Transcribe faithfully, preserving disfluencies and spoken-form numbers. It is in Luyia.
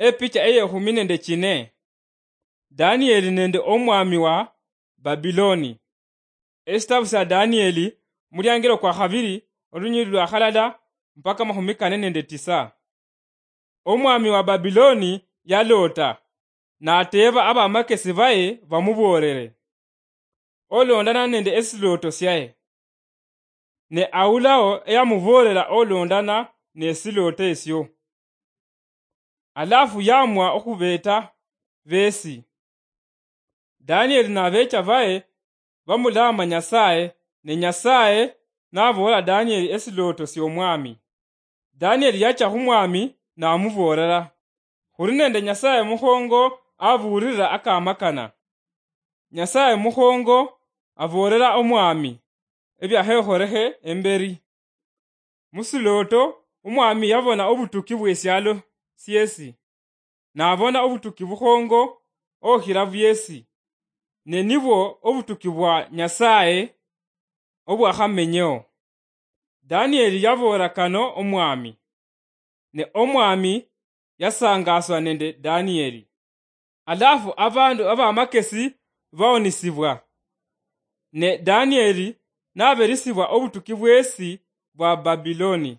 Epicha eyekhumi nende chine. Danieli nende omwami wa Babiloni. Esitabu sya Danieli, muliangiro kwa khabiri, olunyiriri lwa khalala mpaka makhumi kane nende tisa. Omwami wa Babiloni yaloota, nateeba abamakesi baye bamuboolere olondana nende esilooto syaye. Ne awulao eyamuboolera olondana nesilooto esyo. Alafu yamwa okhubeeta beesi. Danieli nabeecha baye bamulaama Nyasaye, ne Nyasaye naboola Danieli esilooto sy'omwami. Danieli yacha khu mwami namuboolera, "Khuli nende Nyasaye mukhongo abuulirira akamakana. Nyasaye mukhongo aboolera omwami ebyahekholekhe emberi." Musilooto, omwami yabona obutuki bwesialo syesi, nabona obutuki bukhongo okhira bwesi, ne nibwo obutuki bwa Nyasaye obwakhamenyeo. Danieli yaboola kano omwami, ne omwami yasangaswa nende Danieli. Alafu abandu abamakesi baonisibwa, ne Danieli naberisibwa obutuki bwesi bwa Babiloni.